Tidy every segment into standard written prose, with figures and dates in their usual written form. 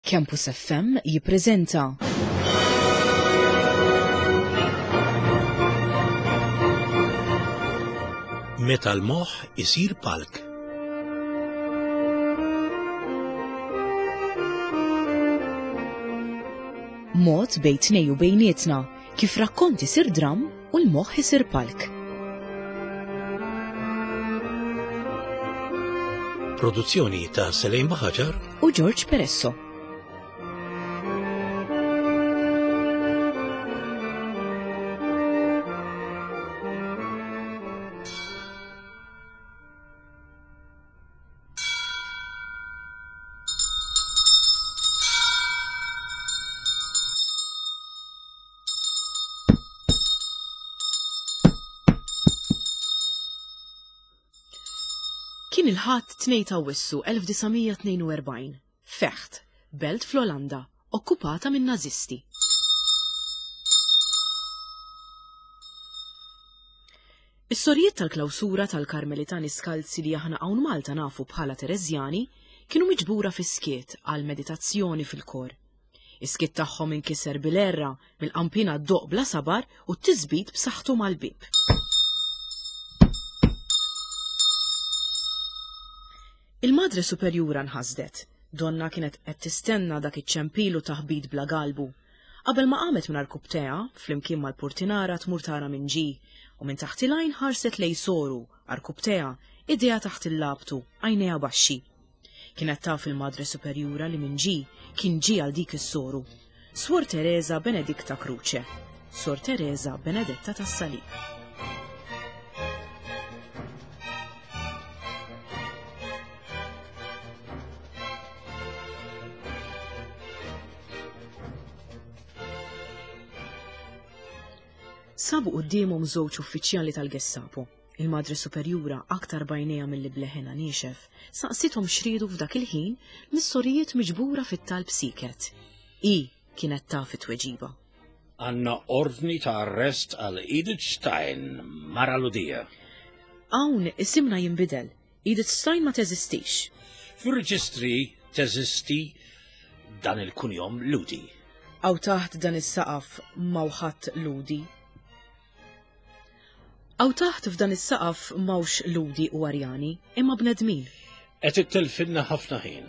Campus FM jippreżenta. Meta l-moħħ isir palk. Mod bejn tnej u bejnietna kif rakkont isir dramm u l-moħħ isir palk. Produzzjoni ta' Selejn Baħaġar u George Peresso. Kien il-Ħadd 2 ta' Awwissu 1942, Fecht, belt fl-Olanda, okkupata min-Nażisti. Is-sorijiet tal-klawsura tal-Karmelitani Skalzi li aħna hawn Malta nafu bħala Tereżjani kienu miġbura fis-skiet għal meditazzjoni fil-kor. Is-skiet tagħhom inkiser bil-għerra, mill-qanpiena ddoqq bla sabar u t-tisbit b'saħħtu mal-bieb. Il-Madre Superjura nħasdet. Donnha kienet qed tistenna dak iċ-ċempil u taħbit bla galbu. Qabel ma qamet minn għarkupptejha, flimkien mal-purtinara tmur tara min ġie, u minn taħt il-għajn ħarset lejn soru, għarkupptejha, idejha taħt il-labtu, għajnejha baxxi. Kienet taf il-Madre Superjura li min ġie, kien ġie għal dik is-soru. Suor Teresa Benedicta Croce. Sor Teresa Benedetta tas-Salib. Sabu quddiemhom żewġ uffiċjali tal-Gestapo. Il-Madre Superjura, aktar b'għajnejha milli b'leħinha niexef, saqsithom x'riedu f'dak il-ħin mis-sorijiet miġbura fit-talb sieket. Hi kienet taf it-tweġiba. Għandna ordni ta' arrest għal Edith Stein, mara Lhudija. Hawn isimna jinbidel. Edith Stein ma teżistix. Fir-reġistri teżisti dan il-kunjom Lhudi. Hawn taħt dan is-saqaf m'hawn ħadd Lhudi. Hawn taħt f'dan is-saqaf m'hawnx Lhudi u Arjani, imma bnedmin. Qed ittelfilna ħafna ħin.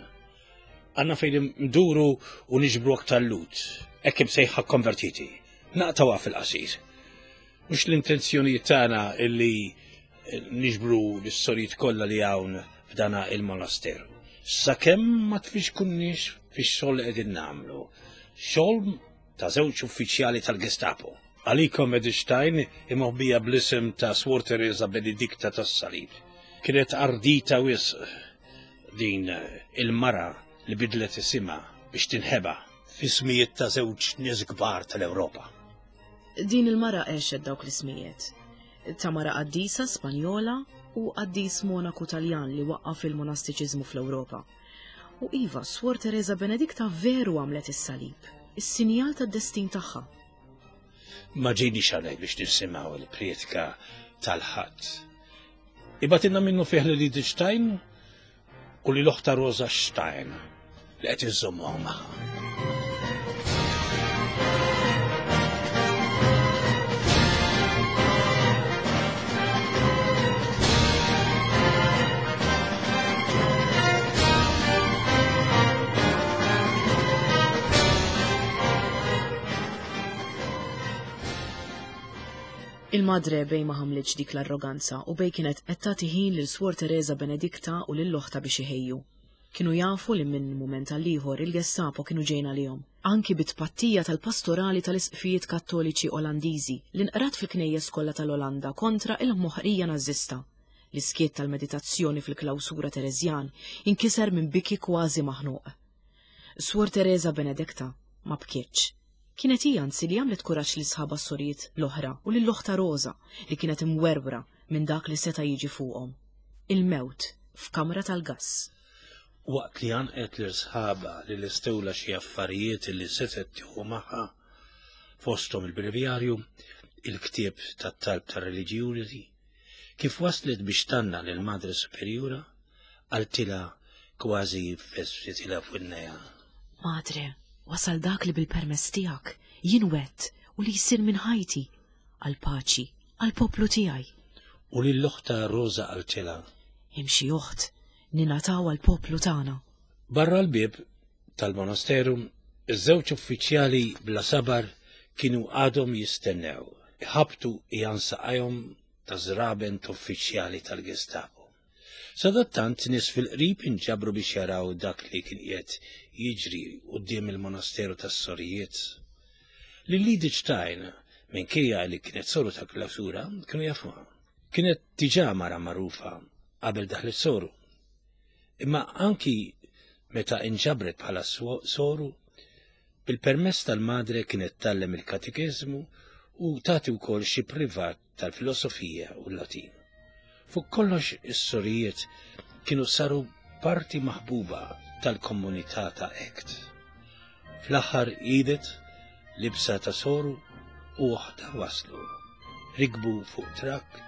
Għandna fejn nduru u niġbru aktar Lhud, hekk imsejħa konvertiti. Naqtgħuha fil-qasir. Mhux l-intenzjonijiet tagħna illi niġbru l-istorijiet kollha li hawn f'dana il-monasteru. Sakemm ma tfixkunniex fix-xogħol li qegħdin nagħmlu. Xogħol ta' żewġ uffiċjali tal-Gestapo. Għalikom Edith Stein immoħbija bl-isem ta' Swor Teresa Benedicta tas-Salib. Kienet ardita wisq din il-mara li bidlet isimha biex tinħeba f'ismijiet ta' żewġ nies kbar tal-Ewropa. Din il-mara għexet dawk l-ismijiet. Ta' mara qaddisa Spanjola u qaddis monaku Taljan li waqqaf il-monastiċiżmu fl-Ewropa. U iva, Swor Teresa Benedicta veru għamlet is-salib, is-sinjal tad-destin tagħha. Ma ġejniex hawnhekk biex nisimgħu l-prietka tal-Ħadd. Ibatilna minnu fih lil Edith Stein u lil oħta Rosa Stein li qed iżommuha magħha. Il-Madre bej ma ħamlitx dik l-arroganza u bej kienet qed tagħti ħin lil Swor Teresa Benedicta u lil oħtha biex iħejju. Kienu jafu li minn mument għal ieħor il-Gestapo kienu ġejjin għalihom, anki bit-tpattija tal-pastorali tal-isqfijiet Kattoliċi Olandiżi li nqrat fil-knejjes kollha tal-Olanda kontra il-moħqrija Nażista. L-iskiet tal-meditazzjoni fil-klawsura Tereżjan inkiser minn biki kważi maħnuq. Swor Teresa Benedicta ma bkietx. Kienet hi anzi li għamlet kuraġġ lil sħabha s-sorijiet l-oħra u lil oħtha Rosa li kienet imwerwra minn dak li seta' jiġi fuqhom. Il-mewt f'kamra tal-gass. Waqt li għannqet lil sħabha li lestewlha xi affarijiet li setgħet tieħu magħha, fosthom il-brevjarju, il-ktieb tat-talb tar-reliġjużi, Kif waslet biex tgħannaq lil Madre Superjura, qaltilha kważi fessritilha f'widnejha. Madre, wasal dak li bil-permess tiegħek jien wet u li jsir minn ħajti għall-paċi, għall-poplu tiegħi. U lil oħtha Rosa qaltilha. Imxi oħt, ningħataw għall-poplu tagħna. Barra l-bieb tal-monasteru, iż-żewġ uffiċjali bla sabar kienu għadhom jistennew, iħabbtu qiegħan saqajhom ta' żraben t'uffiċjali tal-Gestapo. Sadattant nies fil-qrib inġabru biex jaraw dak li kien qiegħed jiġri quddiem il-monasteru tas-sorijiet. Lil Edith Stein, minkejja li kienet soru ta' klawsura, kienu jafuha. Kienet diġà mara magħrufa qabel daħlet soru. Imma anki meta inġabret bħala soru, bil-permess tal-madre kienet tgħallem il-katekeżmu u tagħti wkoll xi privat tal-filosofija u l-Latin. Fuq kollox is-sorijiet kienu saru parti maħbuba tal-komunità ta' Echt. Fl-aħħar Edith, libsa ta' soru, u oħtha waslu. Rikbu fuq trakk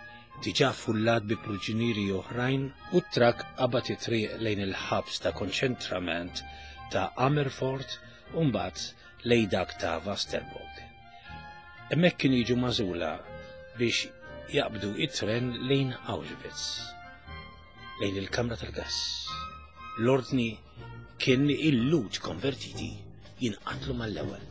diġà fullat bi pruġinieri oħrajn u t-trakk qabad it-triq lejn il-ħabs ta' konċentrament ta' Amerfort u mbagħad lejn dak ta' Vasterborg. Hemmhekk kienu jiġu magħżula biex jaqbdu it-tren lejn Auschwitz, lejn il-kamra tal-gass. L-ordni kien li il-Lhud konvertiti jinqatlu mal-ewwel.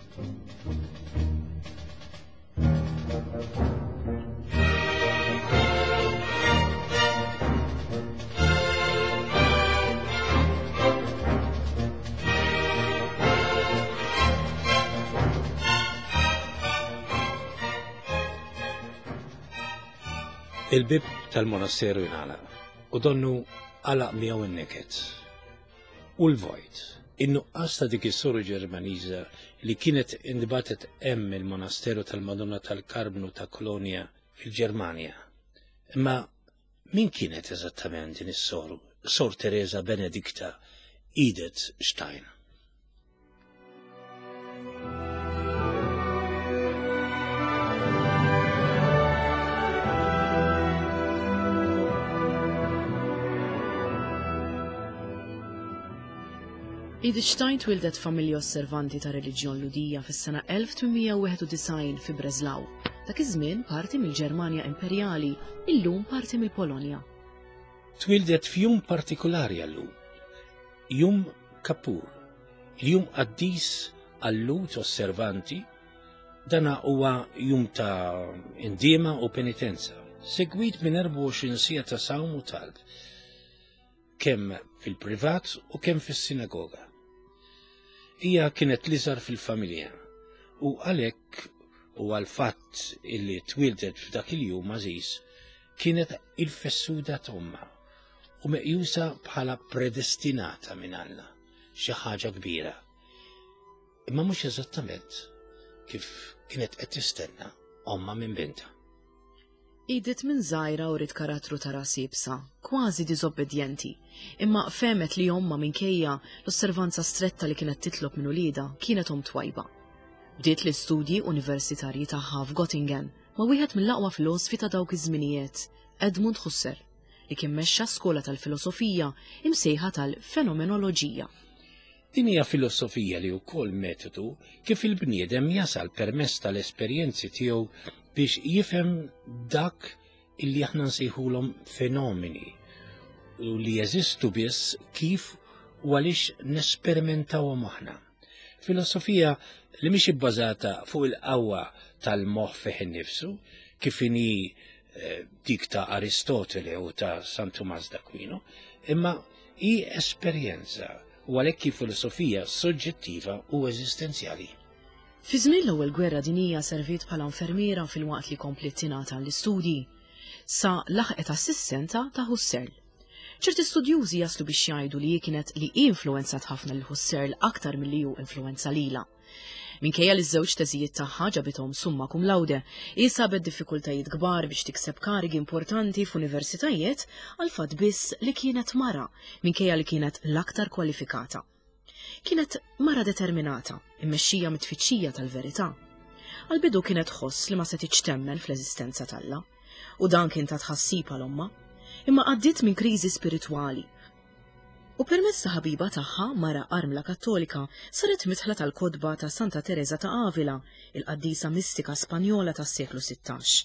Il-bib tal-monasteru jingħalaq u donnu għalaq miegħu n-niket. U l-vojt, in-nuqqas ta' dik is-soru Ġermaniża li kienet intbatet hemm il-monasteru tal-Madonna tal-Karbnu ta' Kolonja fil-Ġermanja. Imma min kienet eżattament din is-soru, Sor Teresa Benedikta Edith Stein? Edith Stein twildet f'familja osservanti ta' reliġjon Lhudija fis-sena 1891 fi Breslau, dak iż-żmien parti mill-Ġermanja Imperjali, illum parti mill-Polonja. Twieldet f'jum partikulari għal-Lhud, Jum Kappur, il-jum qaddis għal-Lhud osservanti, dana huwa jum ta' indiema u penitenza, segwit minn 24 siegħa ta' sawm u talb, kemm fil-privat u kemm fis-sinagoga. Hija kienet l-iżgħar fil-familja u għalhekk u għall-fatt illi twieldet f'dak il-jum għażiż kienet il-fessuda t'ommha u meqjusa bħala predestinata minn Alla, xi ħaġa kbira. Imma mhux eżattament kif kienet qed tistenna ommha minn bintha. Edith minn żgħira uriet karattru ta' ras iebsa, kważi diżobbedjenti, imma fehmet li ommha minkejja l-osservanza stretta li kienet titlob minn uliedha kienet omm twajba. Bdiet l-istudji universitarji tagħha f'Gottingen ma' wieħed mill-aqwa filosfi ta' dawk iż-żminijiet, Edmund Husserl, li kien mexxa skola tal-filosofija imsejħa tal-fenomenoloġija. Din hija filosofija li wkoll metodu kif il-bniedem jasal permezz tal-esperjenzi tiegħu biex jifhem dak illi aħna nsejħulhom fenomeni u li jeżistu biss kif u għaliex nesperimentaw aħna. Filosofija li mhix ibbażata fuq il-qawwa tal-moħħ fih innifsu, kif inhi eh, dik ta' Aristotele u ta' San Tumas d'Aquino, imma hi esperjenza u għalhekk hi filosofija soġġettiva u eżistenzjali. Fi żmien l-Ewwel Gwerra Dinjija serviet bħala infermiera filwaqt li kompliet tingħata l-istudji, sa laħqet assistenta ta' Husserl. Ċerti studjużi jaslu biex jgħidu li hi kienet li hi influwenzat ħafna lil Husserl aktar milli hu influwenza lilha. Minkejja li ż-żewġ teżijiet tagħha ġabithom summa cum laude, hi sabet diffikultajiet kbar biex tikseb karigi importanti f'universitajiet għall-fatt biss li kienet mara, minkejja li kienet l-aktar kwalifikata. Kienet mara determinata, immexxija mit-tfittxija tal-verità. Għall-bidu kienet tħoss li ma setgħitx temmen fl-eżistenza t'Alla, u dan kien ta' tħassib għal ommha. Imma għaddiet minn kriżi spiritwali. U permezz ta' ħabiba tagħha, mara armla Kattolika, saret midħla tal-kotba ta' Santa Tereża ta' Avila, il-qaddisa mistika Spanjola tas-seklu 16.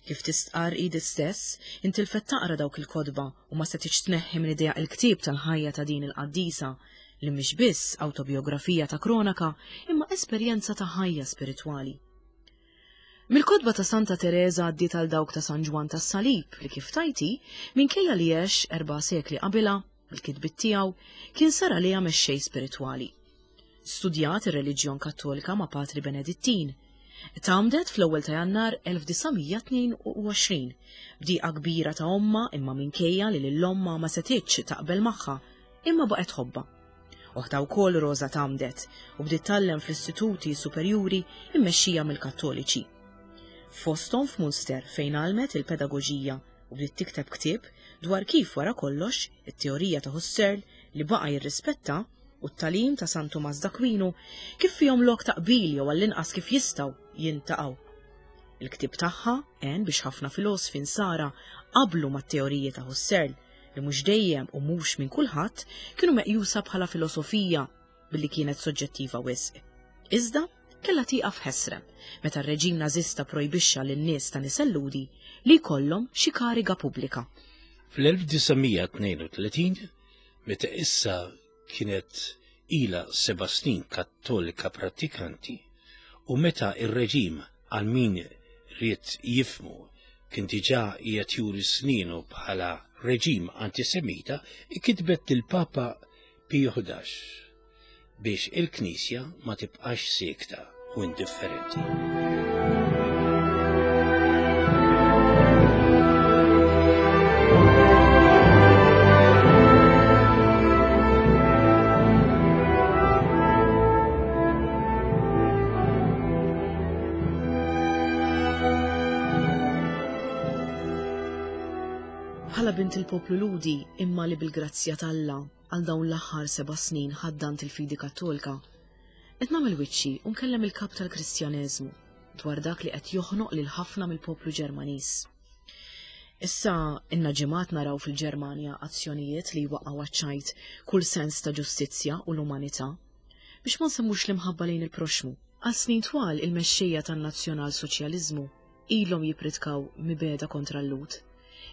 Kif tistqarr Edith stess, intilfet taqra dawk il-kotba u ma setgħetx tneħħi minn idejha il-ktieb tal-ħajja ta' din il-qaddisa, li mhix biss awtobiografija ta' kronaka imma esperjenza ta' ħajja spiritwali. Mill-kotba ta' Santa Tereża għaddiet għal dawk ta' San Ġwann tas-Salib li kif tgħid hi, minkejja li għex erba' sekli qabilha, bil-kitbiet tiegħu, kien sar għaliha mexxej spiritwali. Studjat ir-reliġjon Kattolika ma' Patri Benedittin. Tgħammdet fl-ewwel ta' Jannar 1922, b'dieqa kbira ta' ommha imma minkejja li lil ommha ma setgħitx taqbel magħha, imma baqgħet tħobbha. Oħtha wkoll Rosa tgħammdet u bdiet tgħallem fl-istituti superjuri mmexxija mill-Kattoliċi. Fosthom f'Munster fejn għallmet il-pedagoġija u bdiet tikteb ktieb dwar kif wara kollox it-teorija ta' Husserl li baqa' jirrispetta u t-tagħlim ta' San Tumas d'Akwinu kif fihom lok ta' qbil jew għall-inqas kif jistgħu jintaqgħu. Il-ktieb tagħha għen biex ħafna filosfi nsara qablu mat-teoriji ta' Husserl li mhux dejjem u mhux minn kulħadd kienu meqjusa bħala filosofija billi kienet soġġettiva wisq. Iżda kellha tieqaf ħesrem meta r-reġim Nażista projbixxa lin-nies ta' nisel Lhudi li jkollhom xi kariga pubblika. Fl-1932, meta issa kienet ilha seba' snin Kattolika prattikanti u meta r-reġim għal min ried jifhmu kien diġà qiegħed juri snienu bħala reġim antisemita, kitbet lill-Papa Piju 11 biex il-Knisja ma tibqax siekta u indifferenti. Bħala bint il-poplu Lhudi imma li bil-grazzja t'Alla għal dawn l-aħħar seba' snin ħaddant il-fidi Kattolika, Qed nagħmel wiċċi u nkellem il-kap tal-Kristjaneżmu dwar dak li qed joħnoq lil ħafna mill-poplu Ġermaniż. Issa inna ġimgħat naraw fil-Ġermanja azzjonijiet li jwaqqgħu għaċ-ċajt kull sens ta' ġustizzja u l-umanità, biex ma nsemmux l-imħabba lejn il-proxxmu. Għal snin twal il-mexxejja tan-Nazzjonal-Soċjaliżmu ilhom jippritkaw mibegħda kontra l-Lhud,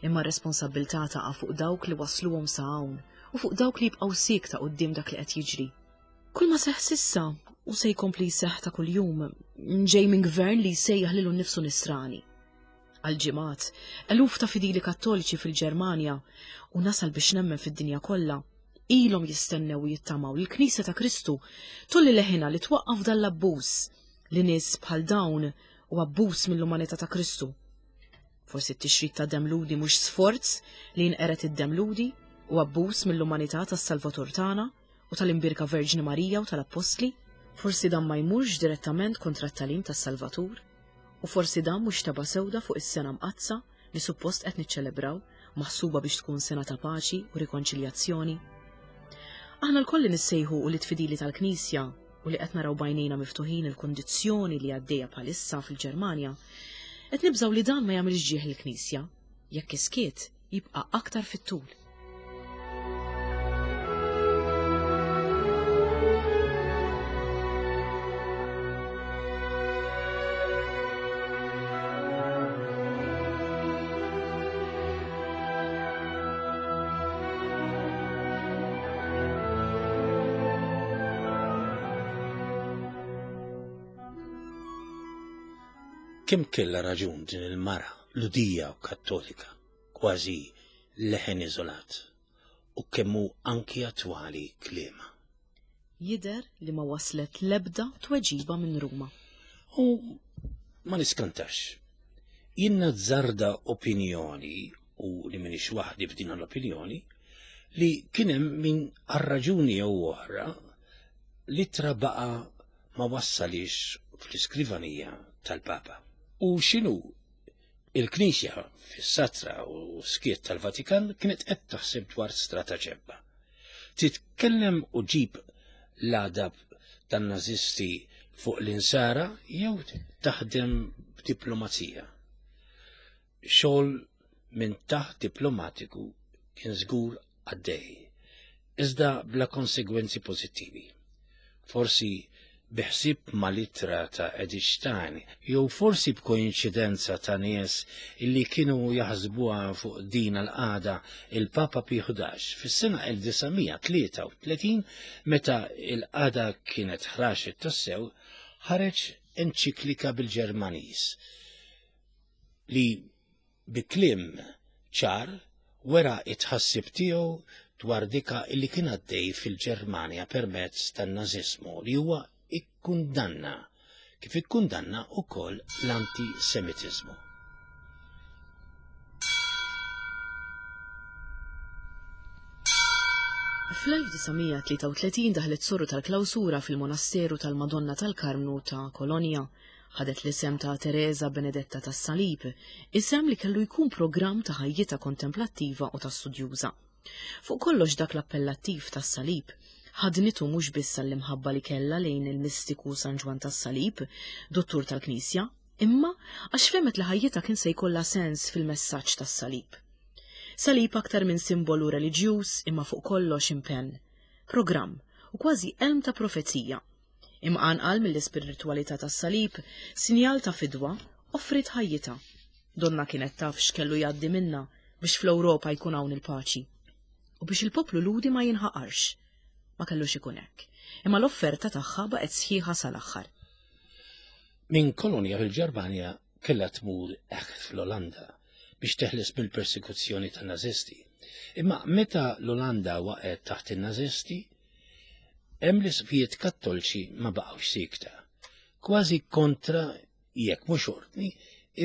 imma r-responsabbiltà taqa' fuq dawk li wassluhom sa hawn u fuq dawk li jibqgħu siekta quddiem dak li qed jiġri. Kull ma seħħ s'issa u se jkompli jseħħ ta' kuljum ġej minn gvern li jsejjaħ lilu nnifsu nisrani. Għal ġimgħat, eluf ta' fidili kattoliċi fil-Ġermanja u nasal biex nemmen fid-dinja kollha ilhom jistennew u jittamaw li l-Knisja ta' Kristu tolli leħinha li twaqqaf dan l-abbuż li nies bħal dawn u abbuż mill-umanità ta' Kristu. Forsi t-tixrid ta' demm Lhudi mhux sforz li jinqered id-demm Lhudi u abbuż mill-umanità tas-Salvatur tagħna u tal-Imbierka Verġni Marija u tal-Appostli? Forsi dan ma jmurx direttament kontra t-tagħlim tas-Salvatur? U forsi dan mhux tebgħa sewda fuq is-Sena Mqaddsa li suppost qed niċċelebraw, maħsuba biex tkun sena ta' paċi u rikonċiljazzjoni? Aħna lkoll li nissejħu ulied fidili tal-Knisja u li qed naraw b'għajnejna miftuħin il-kundizzjoni li għaddejja bħalissa fil-Ġermanja, qed nibżgħu li dan ma jagħmilx ġieħ lill-Knisja, jekk is-skiet jibqa' aktar fit-tul. Kemm kellha raġun din il-mara Lhudija u Kattolika? kważi leħen iżolat, u kemm hu anki attwali kliemha. Jidher li ma waslet l-ebda tweġiba minn Ruma. U ma niskantax. Jien nazzarda opinjoni, u li m'iniex waħdi f'din l-opinjoni, li kien hemm min għal raġuni jew oħra l-ittra baqa' ma wassalhiex fl-iskrivanija tal-Papa. U x'inhu Il-Knisja, fis-satra u skiet tal-Vatikan, kienet qed taħseb dwar strataġemma. Titkellem u ġib l-għadab tan-Nażisti fuq l-Insara jew taħdem b'diplomazija. Xogħol minn taħt diplomatiku kien żgur għaddej. iżda bla konsegwenzi pożittivi. Forsi bi ħsieb mal-ittra ta' Edith Stein, jew forsi b'koinċidenza ta' nies illi kienu jaħsbuha fuq din l-qagħda il-Papa Piju 11 fis-sena 1933 meta l-qagħda kienet ħraxet tassew ħareġ enċiklika bil-Ġermaniż li bi kliem ċar wera t-tħassib tiegħu dwar dika illi kien għaddej fil-Ġermanja permezz tan-Nażiżmu li huwa ikkundanna kif ikkundanna wkoll l-antisemitiżmu. Fl-1933 daħlet soru tal-klawsura fil-monasteru tal-Madonna tal-Karmnu ta' Kolonja. Ħadet l-isem ta' Tereża Benedetta tas-Salib, isem li kellu jkun programm ta' ħajjitha kontemplattiva u ta' studjuża. Fuq kollox dak l-appellattiv tas-Salib ħadnitu mhux biss għall-imħabba li kellha lejn il-mistiku San Ġwann tas-Salib, duttur tal-Knisja, imma għax fehmet li ħajjitha kien se jkollha sens fil-messaġġ tas-Salib. Salib aktar minn simbolu reliġjuż imma fuq kollox impenn, programm u kważi elm ta' profezija. Imqanqal mill-ispiritwalità tas-salib, sinjal ta' fidwa, offriet ħajjitha. Donnha kienet taf x'kellu jgħaddi minnha biex fl-Ewropa jkun hawn il-paċi. U biex il-poplu Lhudi ma jinħaqarx. Ma kellux ikun hekk. Imma l-offerta tagħha baqgħet sħiħa sal-aħħar. Minn Kolonja fil-Ġermanja kellha tmur Echt fl-Olanda biex teħles mill-persekuzzjoni tan-Nażisti. Imma meta l-Olanda waqgħet taħt in-Nażisti, Hemm l-isqfijiet Kattolċi ma baqgħux siekta. Kważi kontra jekk mhux ordni,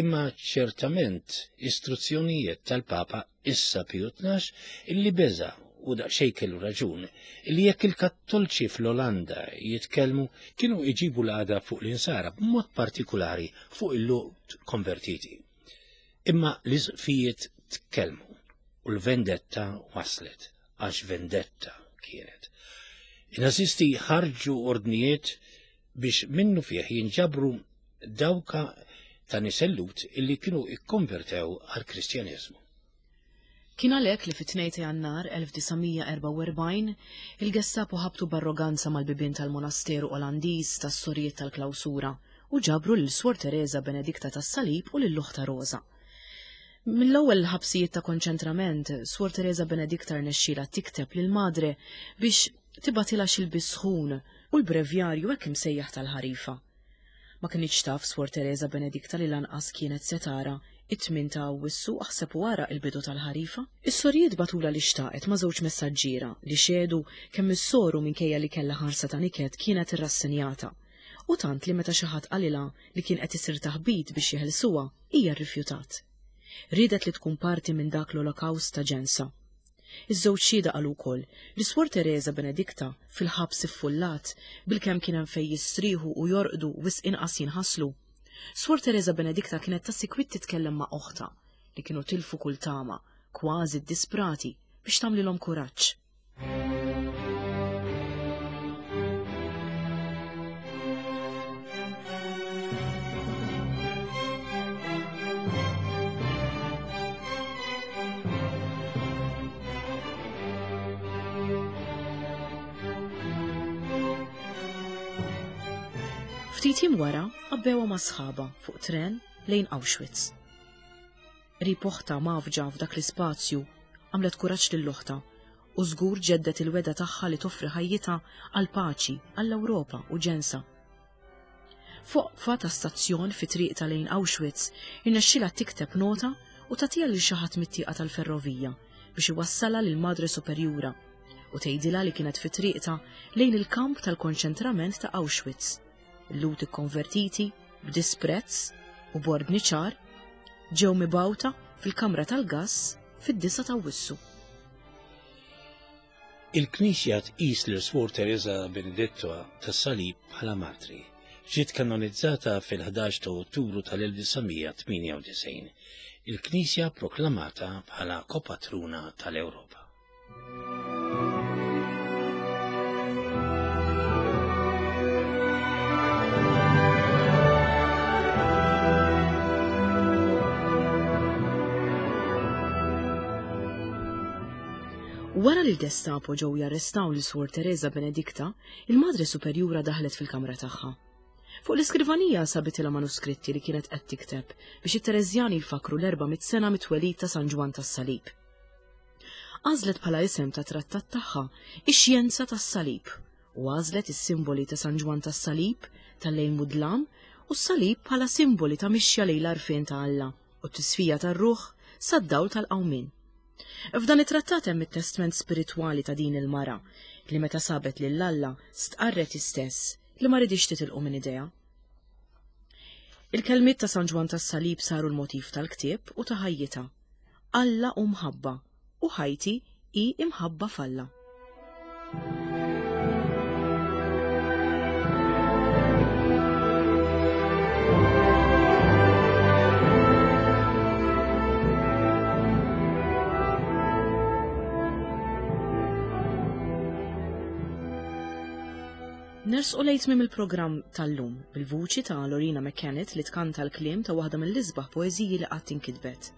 imma ċertament istruzzjonijiet tal-Papa issa Piju 12 illi beża' u daqsxejn kellu raġun, illi jekk il-Kattolċi fl-Olanda jitkellmu kienu iġibu l-għadab fuq l-insara b'mod partikulari fuq il-Lhud konvertiti. Imma l-isqfijiet tkellmu u l-vendetta waslet għax vendetta kienet. In-Nazisti ħarġu ordnijiet biex minnu fih jinġabru dawka ta' nisel Lhud illi kienu ikkonvertew għall-Kristjaneżmu. Kien għalhekk li fit-2 ta' Jannar 1944 il-Gestapo ħabtu b'arroganza mal-bibien tal-monasteru Olandiż tas-Sorijiet tal-Klawsura u ġabru lil Suor Tereża Benedikta tas-Salib u lil oħtha Rosa. Mill-ewwel ħabsijiet ta' konċentrament, Suor Tereża Benedikta rnexxielha tikteb lil Madre biex tibgħatilha xi lbies sħun u l-brevjarju hekk imsejjaħ tal-ħarifa. Ma kinitx taf Suor Tereża Benedikta li lanqas kienet se tara it-tmien ta' Awwissu aħseb u ara il-bidu tal-ħarifa. Is-sorijiet bagħtulha li xtaqet ma' żewġ messaġġiera li xehdu kemm is-soru minkejja li kellha ħarsa ta' niket kienet irrassenjata. U tant li meta xi ħadd qalilha li kien qed isir taħbit biex jeħilsuha, hija rrifjutat. Riedet li tkun parti minn dak l-olokawst ta' ġensha. Iż-żewġ xhieda qalu wkoll li Swor Tereża Benedikta, fil-ħabs iffullat, bilkemm kien hemm fejn jistrieħu u jorqdu wisq inqas jinħaslu. Swor Tereża Benedikta kienet ta' sikwit titkellem ma' oħtha, li kienu tilfu kull tama, kważi ddisprati, biex tagħmlilhom kuraġġ. Ftit jiem wara għabbewha ma' sħabha fuq tren lejn Auschwitz. Qrib oħtha mgħaffġa f'dak l-ispazju, għamlet kuraġġ lil oħtha u żgur ġeddet il-wegħda tagħha li toffri ħajjitha għall-paċi, għall-Ewropa u ġensha. F'oqfa ta' stazzjon fi triqtha lejn Auschwitz, irnexxielha tikteb nota u tagħtiha lil xi ħadd mit-tieqa tal-ferrovija biex iwassalha lill-Madre Superjura u tgħidilha li kienet fi triqtha lejn il-kamp tal-konċentrament ta' Auschwitz. Il-Lhud ikkonvertiti, b'disprezz u b'ordni ċar, ġew mibgħuta fil-kamra tal-gass fid-9 ta' Awwissu. Il-Knisja tqis lil Swor Tereża Benedetto tas-Salib bħala martri. Ġiet kanonizzata fil-11 ta' Ottubru tal-1998. Il-Knisja proklamata bħala kopatruna tal-Ewropa. Wara li l-Gestapo ġew jarrestaw lil Suor Teresa Benedicta, il-Madre Superjura daħlet fil-kamra tagħha. Fuq l-iskrivanija sabitilha manuskritti li kienet qed tikteb biex it-Tereżjani jfakkru l-400 sena mit-twelid ta' San Ġwann tas-Salib. Għażlet bħala isem ta' trattat tagħha ix-xjenza tas-salib u għażlet is-simboli ta' San Ġwann tas-Salib, tal-lejl mudlam, u s-salib bħala simboli ta' mixja lejn l-għarfien ta' Alla u t-tisfija tar-ruħ sad-dawl tal-qawmien. F'dan it-trattat hemm it-testment spiritwali ta' din il-mara li meta sabet lil Alla stqarret hi stess li ma ridix titilqu minn idejha. Il-kelmiet ta' San Ġwann tas-Salib saru l-motiv tal-ktieb u ta' ħajjitha. Alla hu mħabba u ħajti hi imħabba f'Alla. Nersqu lejn tmiem il-programm tal-lum bil-vuċi ta' Lorina McKennitt li tkanta l-kliem ta' waħda mill-isbaħ poeżiji li qatt inkitbet.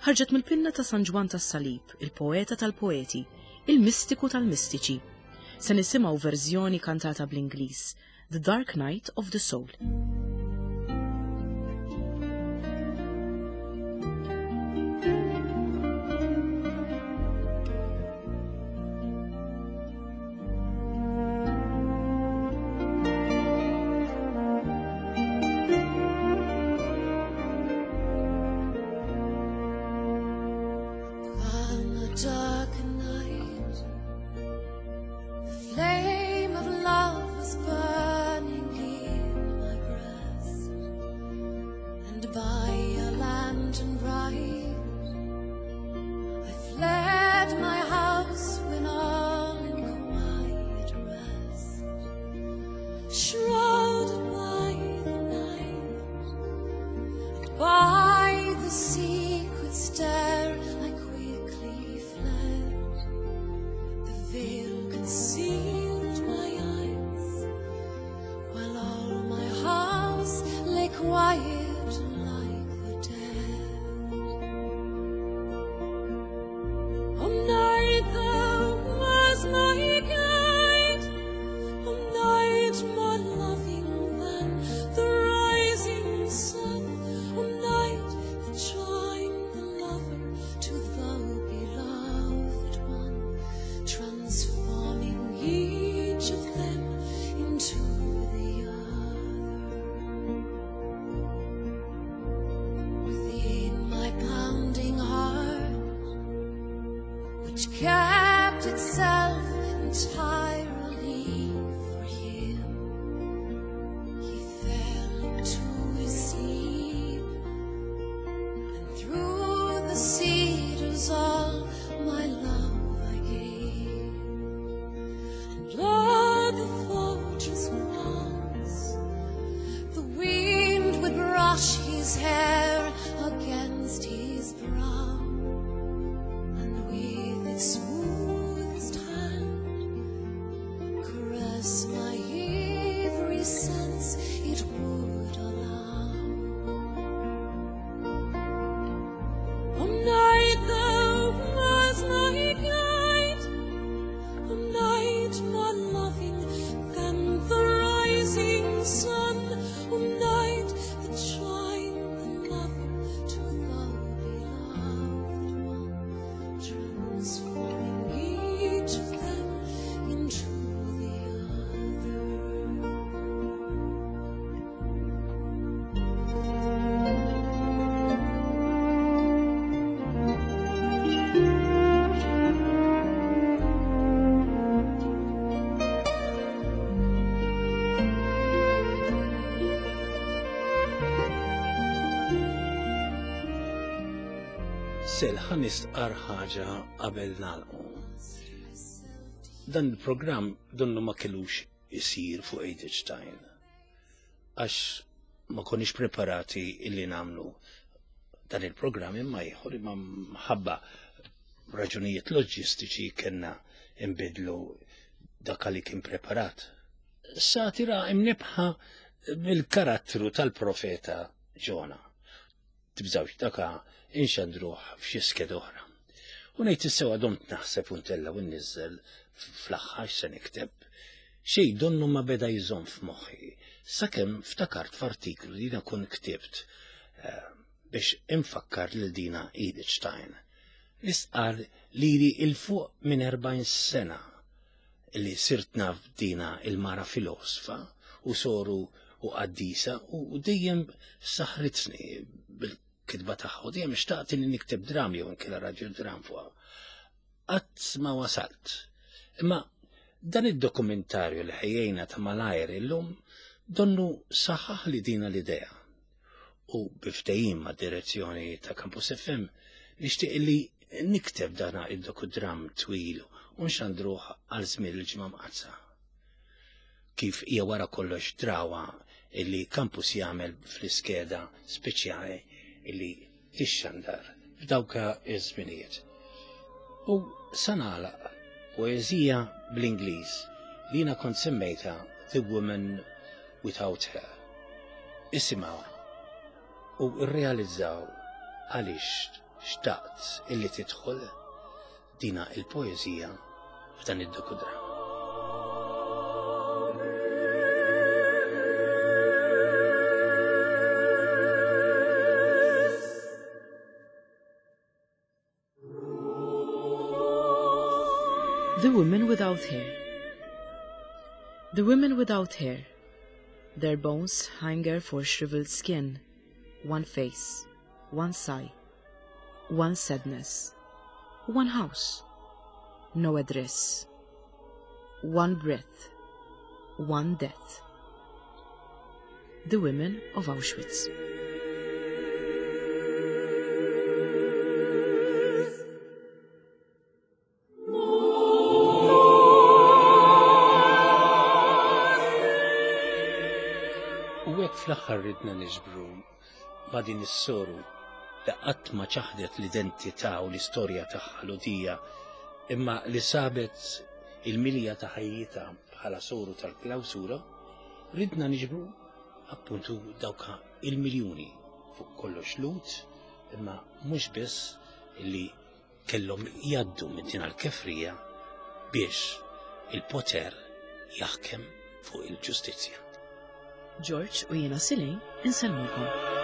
Ħarġet mill-pinna ta' San Ġwann tas-Salib, il-poeta tal-poeti, il-mistiku tal-mistiċi. Se nisimgħu verżjoni kantata bl-Ingliż, The Dark Night of the Soul. Sel, ħa nistqar ħaġa qabel nagħlqu. Dan il-programm donnu ma kellux isir fuq Edith Stein. Għax ma konniex preparati illi nagħmlu dan il-programm imma ieħor imma mħabba raġunijiet loġistiċi kellna imbidlu dak li kien preparat. Satira imnibħa bil-karattru tal-profeta Ġona. Tibżawx daka inxandruh f'xi skeda oħra. U ngħid is-sewwa domt naħseb u ntella' u nniżżel fl-aħħar x'se nikteb. Xejn donnu ma beda jżomm f'moħħi, sakemm ftakart f'artiklu li jiena kont ktibt eh, biex infakkar lil dina Edith Stein. Li stqarr lili 'il fuq minn 40 sena li sirt naf dina il-mara filosfa u soru u qaddisa u dejjem saħritni bil-kitba tagħha u dejjem xtaqt li nikteb dram jew inkella raġel dram fuqha. Qatt ma wasalt. Imma dan id-dokumentarju li ħejjejna ta' malajr illum donnu saħaħ li dina l-idea. U bi ftehim mad-direzzjoni ta' Campus FM nixtieq li nikteb dana id-dokudram twil u nxandruh għal żmien il-Ġimgħa Mqaddsa. Kif hija wara kollox drawa illi Campus jagħmel fl-iskeda speċjali illi tixxandar f'dawk iż-żminijiet. U sa nagħlaq poeżija bl-Ingliż li jiena kont semmejtha The Woman Without Hair. Isimgħuha u rrealizzaw għaliex xtaqt illi tidħol dina il-poeżija f'dan id-dokudrama. The Women Without Hair The women without hair, their bones hunger for shriveled skin, one face, one sigh, one sadness, one house, no address, one breath, one death. The Women of Auschwitz. U hekk fl-aħħar ridna niġbru ma' din is-soru li qatt ma ċaħdet l-identità u l-istorja tagħha Lhudija imma li sabet il-milja ta' ħajjitha bħala soru tal-klawsura, ridna niġbru appuntu dawk il-miljuni fuq kollox Lhud imma mhux biss li kellhom jgħaddu minn din l-kefrija biex il-poter jaħkem fuq il-ġustizzja. George u jiena Silin insellmulkom.